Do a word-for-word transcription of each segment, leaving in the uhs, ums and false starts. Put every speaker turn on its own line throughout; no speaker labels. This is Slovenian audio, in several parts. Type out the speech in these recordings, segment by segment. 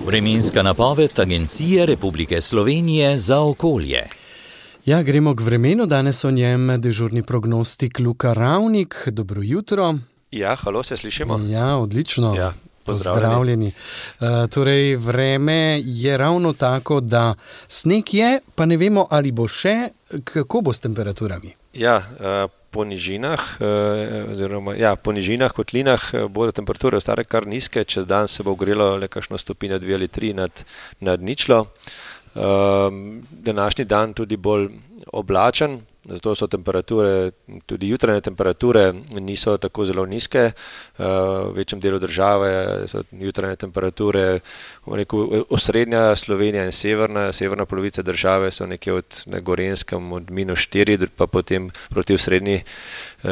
Vremenska napoved Agencije Republike Slovenije za okolje.
Ja, gremo k vremenu. Danes o njem dežurni prognostik Luka Ravnik. Dobro jutro.
Ja, halo, se slišimo?
Ja, odlično.
Ja,
pozdravljeni. Uh, torej, vreme je ravno tako, da sneg je, pa ne vemo, ali bo še. Kako bo s temperaturami?
Ja, uh, po nižinah, uh, oziroma, ja, po nižinah, kotlinah uh, bodo temperature ostale kar nizke. Čez dan se bo ogrelo le kakšno stopinjo, dve ali tri nad, nad ničlo. Um, današnji dan tudi bolj oblačen, zato so temperature, tudi jutranje temperature niso tako zelo nizke. Uh, v večjem delu države so jutranje temperature, rekel, osrednja Slovenija in severna, severna polovica države so nekje od na Gorenjskem od minus štiri, pa potem proti srednji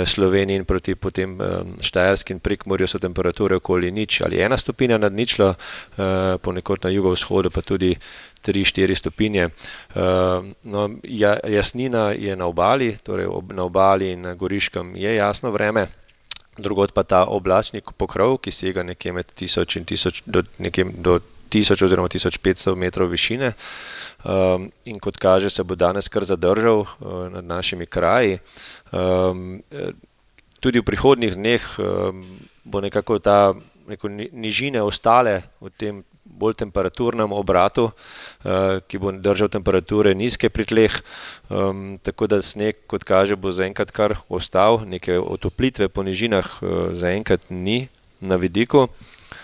Sloveniji in proti potem um, Štajerski in Prekmurju so temperature okoli nič ali ena stopinja nad ničlo, uh, ponekod na jugovzhodu pa tudi tri štiri stopinje. Uh, no, ja, jasnina je na obali, torej ob, na obali in na Goriškem je jasno vreme, drugod pa ta oblačni pokrov, ki sega nekje med tisoč in tisoč do, nekje do tisoč oziroma tisoč petsto metrov višine. Um, in kot kaže, se bo danes kar zadržal uh, nad našimi kraji. Um, tudi v prihodnjih dneh um, bo nekako ta neko nižine ostale v tem bolj temperaturnem obratu, uh, ki bo držal temperature nizke pri tleh, um, tako da sneg, kot kaže, bo zaenkrat kar ostal, neke otoplitve po nižinah uh, zaenkrat ni na vidiku.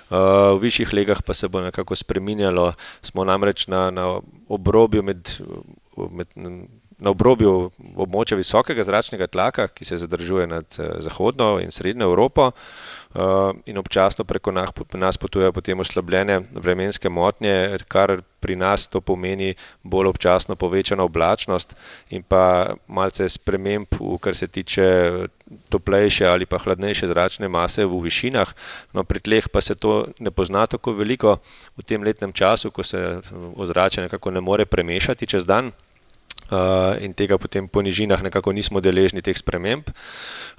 Uh, v višjih legah pa se bo nekako spreminjalo, smo namreč na, na obrobju med, med na obrobju območja visokega zračnega tlaka, ki se zadržuje nad zahodno in srednjo Evropo, uh, in občasno preko nas potujejo potem oslabljene vremenske motnje, kar pri nas to pomeni bolj občasno povečana oblačnost in pa malce sprememb, kar se tiče toplejše ali pa hladnejše zračne mase v višinah. No, pri tleh pa se to ne pozna tako veliko v tem letnem času, ko se ozračje nekako ne more premešati čez dan. Uh, in tega potem po nižinah nekako nismo deležni teh sprememb.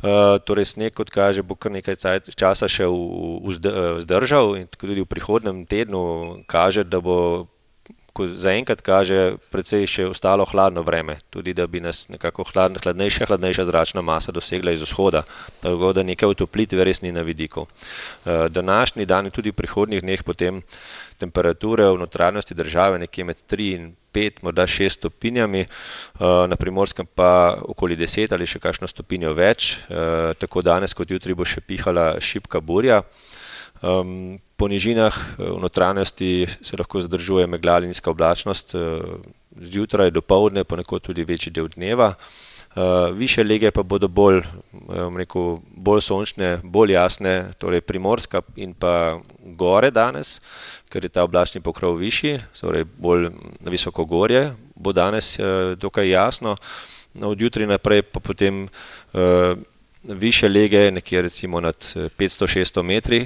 Uh, torej sneg, kot kaže, bo kar nekaj časa še vzdržal in tudi v prihodnem tednu kaže, da bo, ko zaenkrat kaže, precej še ostalo hladno vreme, tudi da bi nas nekako hladna, hladnejša, hladnejša zračna masa dosegla iz vzhoda, tako da nekaj otoplitve res ni na vidiku. Uh, današnji dan in tudi v prihodnjih dneh potem temperature v notranjosti države nekje med tri in pet, morda šest stopinjami, na Primorskem pa okoli deset ali še kakšno stopinjo več, tako danes kot jutri bo še pihala šibka burja. Po nižinah v notranjosti se lahko zadržuje megla ali nizka oblačnost, zjutraj, dopoldne, ponekod tudi večji del dneva. Uh, više lege pa bodo bolj, um, rekel, bolj sončne, bolj jasne, torej Primorska in pa gore danes, ker je ta oblačni pokrov višji, torej bolj na visoko gorje, bo danes uh, dokaj jasno. No, od jutri naprej pa potem uh, više lege, nekje recimo nad petsto šeststo metri,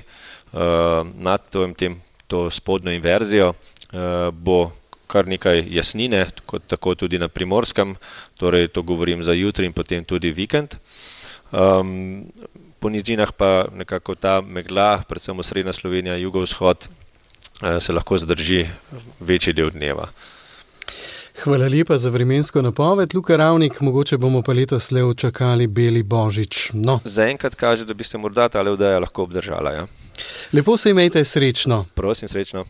uh, nad to, tem, to spodnjo inverzijo, uh, bo kar nekaj jasnine, kot tako tudi na Primorskem, torej to govorim za jutri in potem tudi vikend. Um, po nižinah pa nekako ta megla, predvsem osrednja Slovenija, jugovzhod, se lahko zadrži večji del dneva.
Hvala lepa za vremensko napoved, Luka Ravnik, mogoče bomo pa letos le čakali beli božič. No.
Zaenkrat kaže, da bi se morda tale oddaja lahko obdržala. Ja.
Lepo se imejte, srečno.
Prosim, srečno.